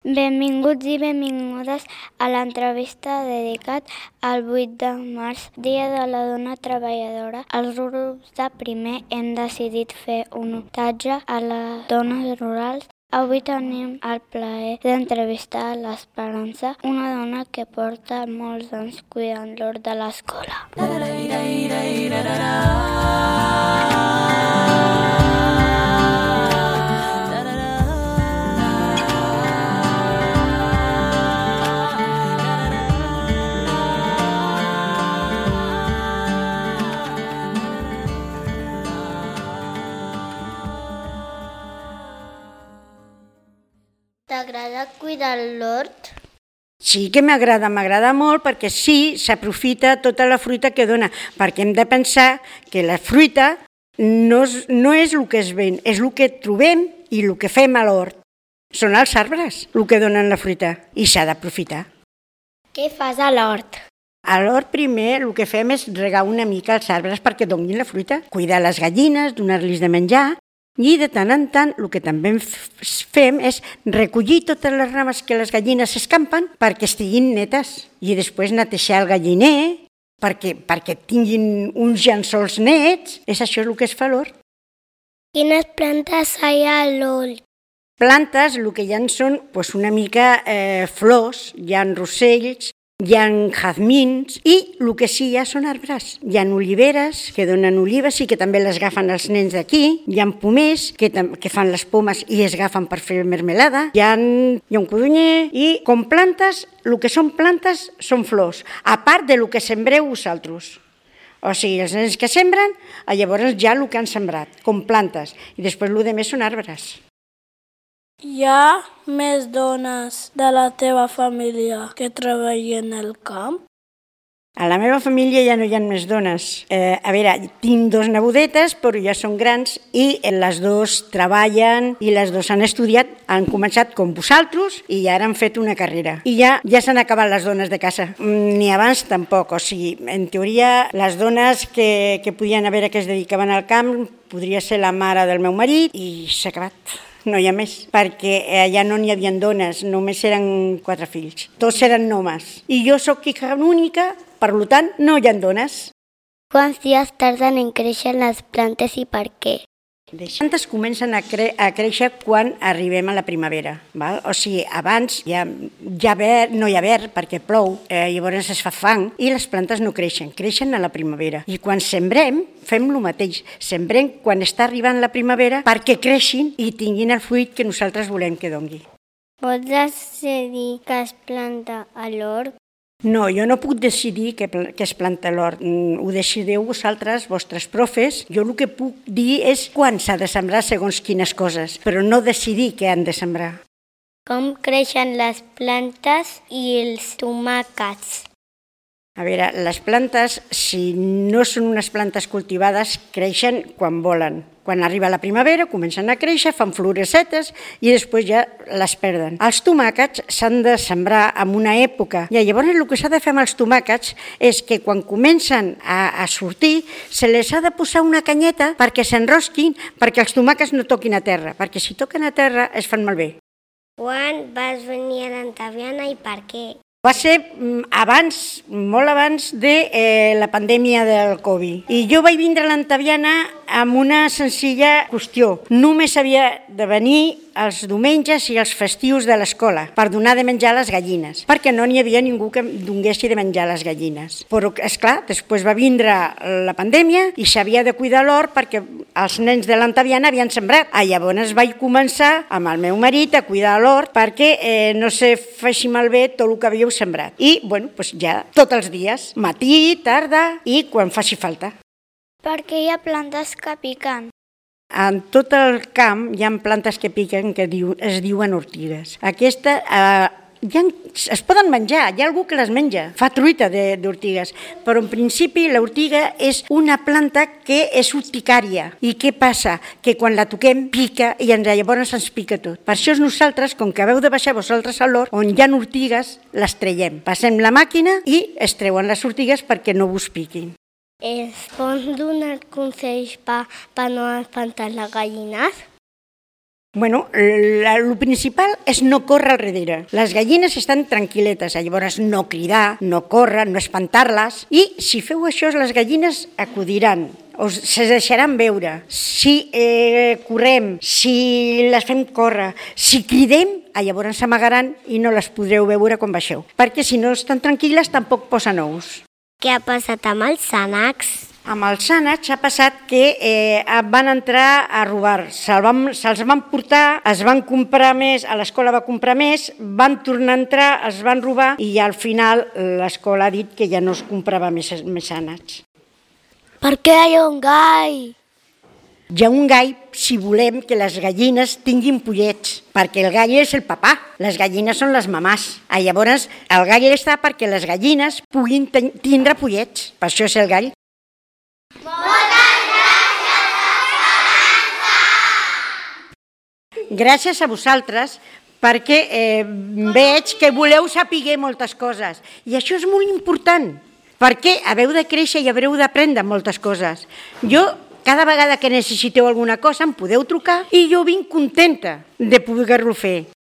Benvinguts i benvingudes a l'entrevista dedicat al 8 de març, Dia de la Dona Treballadora. Els grups de primer hem decidit fer un homenatge a les dones rurals. Avui tenim el plaer d'entrevistar l'Esperança, una dona que porta molts anys cuidant l'hort de l'escola. T'agrada cuidar l'hort? Sí que m'agrada molt perquè sí, s'aprofita tota la fruita que dona, perquè hem de pensar que la fruita no és el que es ven, és el que trobem i el que fem a l'hort. Són els arbres el que donen la fruita i s'ha d'aprofitar. Què fas a l'hort? A l'hort primer el que fem és regar una mica els arbres perquè donin la fruita, cuidar les gallines, donar-los de menjar. I de tant en tant el que també fem és recollir totes les rames que les gallines s'escampen perquè estiguin netes i després netejar el galliner perquè tinguin uns llençols nets. És això el que es fa a l'hort. Quines plantes hi ha a l'hort? Plantes, el que hi ha són una mica flors, hi ha rosells, hi ha jazmins i el que sí hi ha són arbres. Hi ha oliveres que donen olives i que també les agafen els nens d'aquí. Hi ha pomers que fan les pomes i es agafen per fer mermelada. Hi ha un codonyer i com plantes, el que són plantes són flors, a part de lo que sembreu vosaltres. O sigui, els nens que sembren, llavors ja el que han sembrat, com plantes. I després el que més són arbres. Hi ha més dones de la teva família que treballen al camp? A la meva família ja no hi ha més dones. A veure, tinc 2 nebodetes, però ja són grans i les 2 treballen i les 2 han estudiat, han començat com vosaltres i ja han fet una carrera. I ja s'han acabat les dones de casa. Ni abans tampoc, o sigui, en teoria les dones que podien haver que es dedicaven al camp podria ser la mare del meu marit i s'ha acabat. No hi ha més, perquè allà no n'hi havia dones, només eren 4 fills. Tots eren homes. I jo sóc hija única, per tant, no hi ha dones. Quants dies tarden en créixer les plantes i per què? Les plantes comencen a créixer quan arribem a la primavera. Val? O sigui, abans no hi ha verd perquè plou, llavors es fa fang i les plantes no creixen a la primavera. I quan sembrem, fem el mateix. Sembrem quan està arribant la primavera perquè creixin i tinguin el fruit que nosaltres volem que doni. Pots decidir què es planta a l'hort? No, jo no puc decidir què es planta a l'hort. Ho decidiu vosaltres, vostres profes. Jo el que puc dir és quan s'ha de sembrar segons quines coses, però no decidir què han de sembrar. Com creixen les plantes i els tomàquets? A veure, les plantes, si no són unes plantes cultivades, creixen quan volen. Quan arriba la primavera comencen a créixer, fan floresetes i després ja les perden. Els tomàquets s'han de sembrar en una època i llavors el que s'ha de fer amb els tomàquets és que quan comencen a sortir se les ha de posar una canyeta perquè s'enrosquin, perquè els tomàquets no toquin a terra, perquè si toquen a terra es fan malbé. Quan vas venir a l'Antaviana i per què? Va ser abans, molt abans de la pandèmia del Covid. I jo vaig vindre a l'Antaviana amb una senzilla qüestió. Només havia de venir els diumenges i els festius de l'escola per donar de menjar a les gallines, perquè no n'hi havia ningú que donguessi de menjar a les gallines. Però, esclar, després va vindre la pandèmia i s'havia de cuidar l'hort perquè els nens de l'Antaviana havien sembrat. Llavors vaig començar amb el meu marit a cuidar l'hort perquè no se faci malbé tot el que havíeu sembrat. I, ja tots els dies, matí, tarda i quan faci falta. Per què hi ha plantes que piquen? En tot el camp hi ha plantes que piquen que es diuen ortigues. Aquesta es poden menjar, hi ha algú que les menja, fa truita d'ortigues, però en principi l'ortiga és una planta que és urticària. I què passa? Que quan la toquem pica i llavors ens pica tot. Per això nosaltres, com que haveu de baixar vosaltres a l'hort, on hi ha ortigues, les traiem. Passem la màquina i es treuen les ortigues perquè no vos piquin. Es pot donar consells per no espantar les gallines? Bueno, el principal és no córrer al darrere. Les gallines estan tranquil·letes, llavors no cridar, no córrer, no espantar-les, i si feu això les gallines acudiran, se deixaran veure. Si correm, si les fem córrer, si cridem, llavors s'amagaran i no les podreu veure quan baixeu, perquè si no estan tranquil·les tampoc posen ous. Què ha passat amb els ànecs? Amb els ànecs ha passat que van entrar a robar, se'ls van portar, es van comprar més, a l'escola va comprar més, van tornar a entrar, els van robar i al final l'escola ha dit que ja no es comprava més ànecs. Per què hi ha un gall? Hi ha un gall si volem que les gallines tinguin pollets, perquè el gall és el papà, les gallines són les mamàs. Llavors el gall està perquè les gallines puguin tindre pollets, per això és el gall. Gràcies a vosaltres, perquè veig que voleu saber moltes coses. I això és molt important, perquè haveu de créixer i haureu d'aprendre moltes coses. Jo, cada vegada que necessiteu alguna cosa, em podeu trucar i jo vinc contenta de poder-ho fer.